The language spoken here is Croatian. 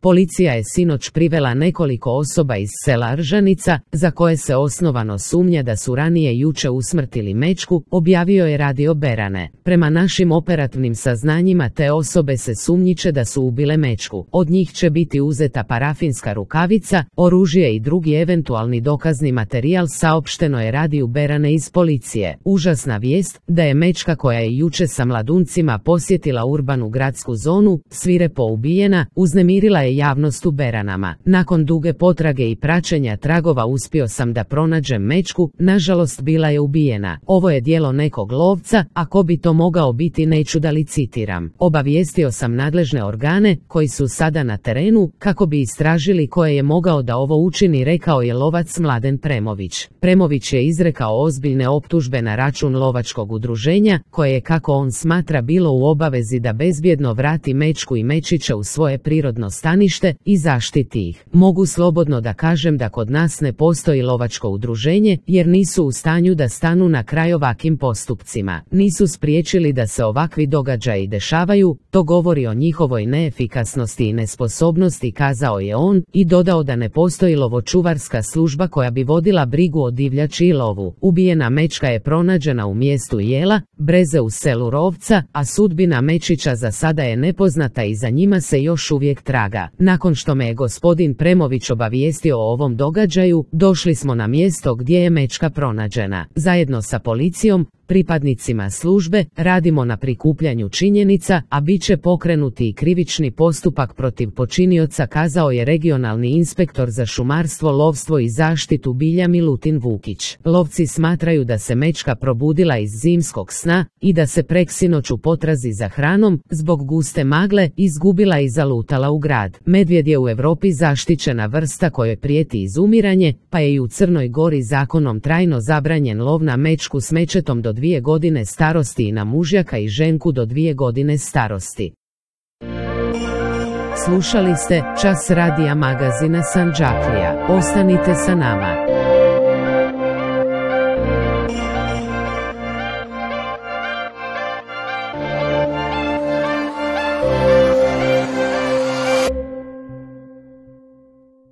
Policija je sinoć privela nekoliko osoba iz sela Ržanica, za koje se osnovano sumnja da su ranije juče usmrtili mečku, objavio je Radio Berane. Prema našim operativnim saznanjima te osobe se sumnjiče da su ubile mečku. Od njih će biti uzeta parafinska rukavica, oružje i drugi eventualni dokazni materijal, saopšteno je Radiju Berane iz policije. Užasna vijest da je mečka koja je juče sa mladuncima posjetila urbanu gradsku zonu, svirepo ubijena, uznemirila je javnost u Beranama. Nakon duge potrage i praćenja tragova uspio sam da pronađem mečku, nažalost bila je ubijena. Ovo je djelo nekog lovca, a ko bi to mogao biti neću da licitiram. Obavijestio sam nadležne organe, koji su sada na terenu, kako bi istražili ko je mogao da ovo učini, rekao je lovac Mladen Premović. Premović je izrekao ozbiljne optužbe na račun lovačkog udruženja, koje je, kako on smatra, bilo u obavezi da bezbjedno vrati mečku i mečića u svoje prirodno stanište i zaštiti ih. Mogu slobodno da kažem da kod nas ne postoji lovačko udruženje, jer nisu u stanju da stanu na kraj ovakvim postupcima. Nisu spriječili da se ovakvi događaji dešavaju, to govori o njihovoj neefikasnosti i nesposobnosti, kazao je on, i dodao da ne postoji lovočuvarska služba koja bi vodila brigu o divljači i lovu. Ubijena mečka je pronađena u mjestu Jela, Breze u selu Rovca, a sudbina mečića za sada je nepoznata i za njima se još uvijek traga. Nakon što me je gospodin Premović obavijestio o ovom događaju, došli smo na mjesto gdje je mečka pronađena. Zajedno sa policijom, pripadnicima službe, radimo na prikupljanju činjenica, a bit će pokrenuti i krivični postupak protiv počinioca, kazao je regionalni inspektor za šumarstvo, lovstvo i zaštitu bilja Milutin Vukić. Lovci smatraju da se mečka probudila iz zimskog sna i da se preksinoć u potrazi za hranom, zbog guste magle, izgubila i zalutala u grad. Medvjed je u Europi zaštićena vrsta kojoj prijeti izumiranje, pa je i u Crnoj Gori zakonom trajno zabranjen lov na mečku s mečetom do 2 godine starosti i na mužjaka i ženku do 2 godine starosti. Slušali ste Čas radija magazina Sandžaklija. Ostanite sa nama.